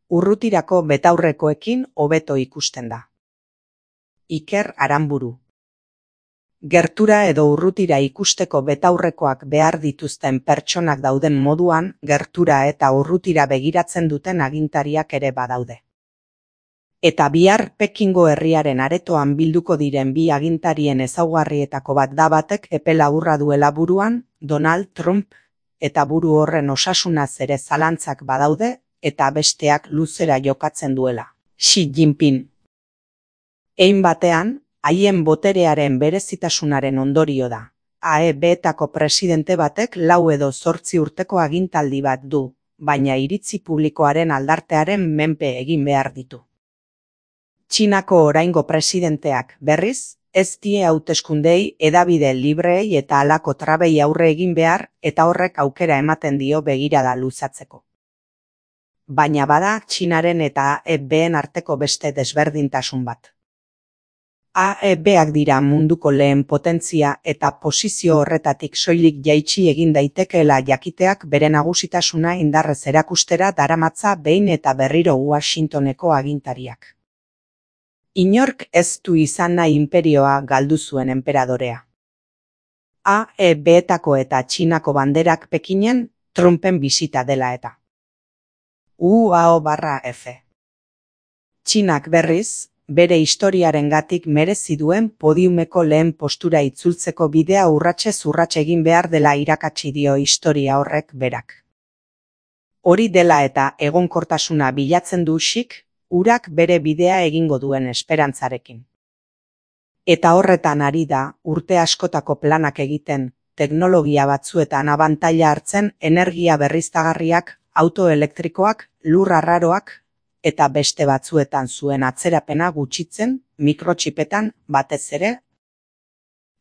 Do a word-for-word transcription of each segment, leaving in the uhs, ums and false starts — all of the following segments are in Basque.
Urrutirako betaurrekoekin hobeto ikusten da. Iker Aranburu. Gertura edo urrutira ikusteko betaurrekoak behar dituzten pertsonak dauden moduan, gertura eta urrutira begiratzen duten agintariak ere badaude. Eta bihar Pekingo herriaren aretoan bilduko diren bi agintarien ezaugarrietako bat da batek epe laburra duela buruan, Donald Trump, eta buru horren osasunaz ere zalantzak badaude, eta besteak luzera jokatzen duela, Xi Jinping. Hein batean, haien boterearen berezitasunaren ondorio da. A E B-etako presidente batek lau edo zortzi urteko agintaldi bat du, baina iritzi publikoaren aldartearen menpe egin behar ditu. Txinako oraingo presidenteak, berriz, ez die hauteskundei, hedabide libreei eta halako trabei aurre egin behar, eta horrek aukera ematen dio begirada luzatzeko. Baina bada Txinaren eta A E B-en arteko beste desberdintasun bat. A E B-ak dira munduko lehen potentzia eta posizio horretatik soilik jaitsi egin daitekeela jakiteak bere nagusitasuna indarrez erakustera daramatza behin eta berriro Washingtoneko agintariak. Inork ez du izan nahi inperioa galdu zuen enperadorea. A E B-etako eta Txinako banderak Pekinen, Trumpen bisita dela eta. U A O barra F. Txinak berriz, bere historiarengatik merezi duen podiumeko lehen postura itzultzeko bidea urratsez urrats egin behar dela irakatsi dio historia horrek berak. Hori dela eta egonkortasuna bilatzen du Xik, urak bere bidea egingo duen esperantzarekin. Eta horretan ari da, urte askotako planak egiten, teknologia batzuetan abantaila hartzen energia berriztagarriak, auto elektrikoak, lur arraroak, eta beste batzuetan zuen atzerapena gutxitzen, mikrotxipetan batez ere.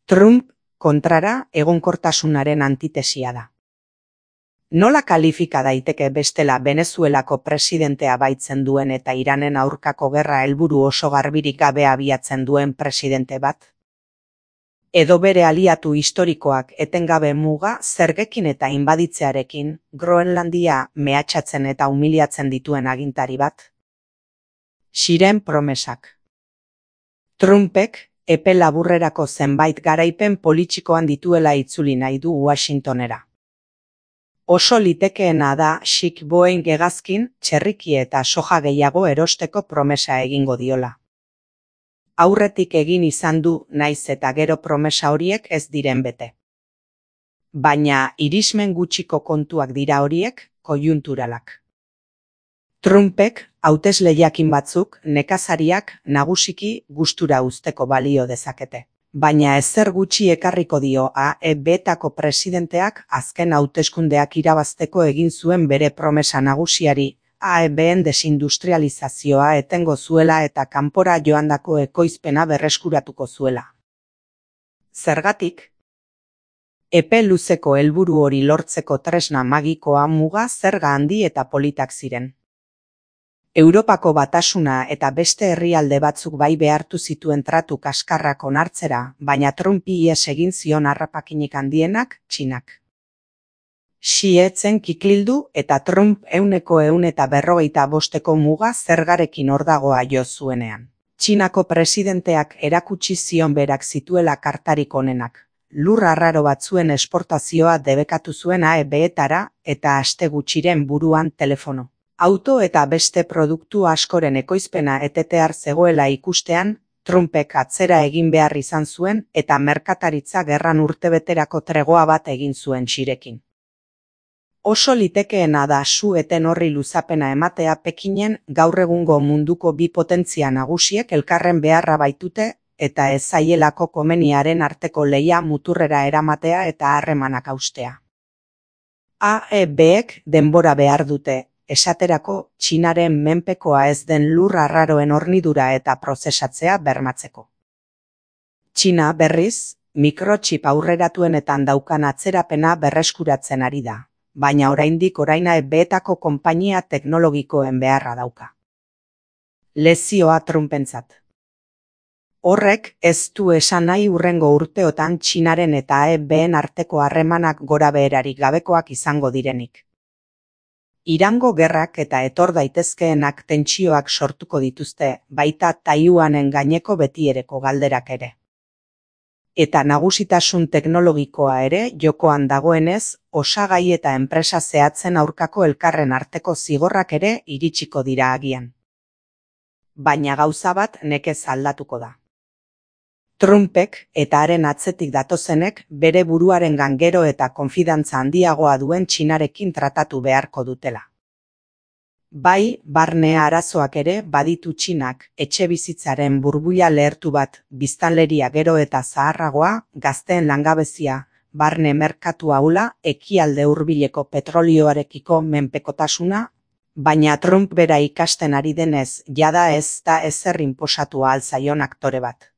Trump, kontrara, egonkortasunaren antitesia da. Nola kalifika daiteke bestela Venezuelako presidentea baitzen duen eta Iranen aurkako gerra helburu oso garbirik gabe abiatzen duen presidente bat? Edo bere aliatu historikoak etengabe muga zergekin eta inbaditzearekin, Groenlandia mehatxatzen eta humiliatzen dituen agintari bat? Xiren promesak. Trumpek, epe laburrerako zenbait garaipen politikoan dituela itzuli nahi du Washingtonera. Oso litekeena da Xik Boeing hegazkin, txerriki eta soja gehiago erosteko promesa egingo diola. Aurretik egin izan du naiz eta gero promesa horiek ez diren bete. Baina irismen gutxiko kontuak dira horiek, koiunturalak. Trumpek, hauteslehiakin batzuk, nekazariak nagusiki gustura uzteko balio dezakete. Baina ezer gutxi ekarriko dio A E B-etako presidenteak azken hauteskundeak irabazteko egin zuen bere promesa nagusiari, A E B-en desindustrializazioa etengo zuela eta kanpora joandako ekoizpena berreskuratuko zuela. Zergatik? Epe luzeko helburu hori lortzeko tresna magikoa muga zerga handi eta politak ziren. Europako batasuna eta beste herrialde batzuk bai behartu zituen tratu kaskarrak onartzera, baina Trumpi ihes egin zion harrapakinik handienak, Txinak. Xi etzen kikildu eta Trump euneko ehun eta berrogeita bosteko muga zergarekin ordagoa jo zuenean. Txinako presidenteak erakutsi zion berak zituela kartarik onenak. Lur arraro batzuen esportazioa debekatu zuen A E B-etara eta aste gutxiren buruan telefono. Auto eta beste produktu askoren ekoizpena etetear zegoela ikustean, Trumpek atzera egin behar izan zuen eta merkataritza gerran urtebeterako tregoa bat egin zuen Xirekin. Oso litekeena da su eten horri luzapena ematea Pekinen gaur egungo munduko bi potentzia nagusiek elkarren beharra baitute eta ez zaielako komeniaren arteko lehia muturrera eramatea eta harremanak haustea. A E B-ek denbora behar dute, esaterako Txinaren menpekoa ez den lur arraroen hornidura eta prozesatzea bermatzeko. Txina berriz, mikrotxip aurreratuenetan daukan atzerapena berreskuratzen ari da, baina oraindik orain A E B-etako konpainia teknologikoen beharra dauka. Lezioa Trumpentzat. Horrek ez du esan nahi hurrengo urteotan Txinaren eta A E B-en arteko harremanak gora beherarik gabekoak izango direnik. Irango gerrak eta etor daitezkeenak tentsioak sortuko dituzte, baita Taiwanen gaineko betiereko galderak ere. Eta nagusitasun teknologikoa ere jokoan dagoenez, osagai eta enpresa zehatzen aurkako elkarren arteko zigorrak ere iritsiko dira agian. Baina gauza bat nekez aldatuko da. Trumpek eta haren atzetik datozenek bere buruarengan gero eta konfidantza handiagoa duen Txinarekin tratatu beharko dutela. Bai, barne arazoak ere baditu Txinak, etxebizitzaren burbuila lehertu bat, biztanleria gero eta zaharragoa, gazteen langabezia, barne merkatu ahula, ekialde hurbileko petrolioarekiko menpekotasuna, baina Trump bera ikasten ari denez, jada ez da ezer inposatu ahal zaion aktore bat.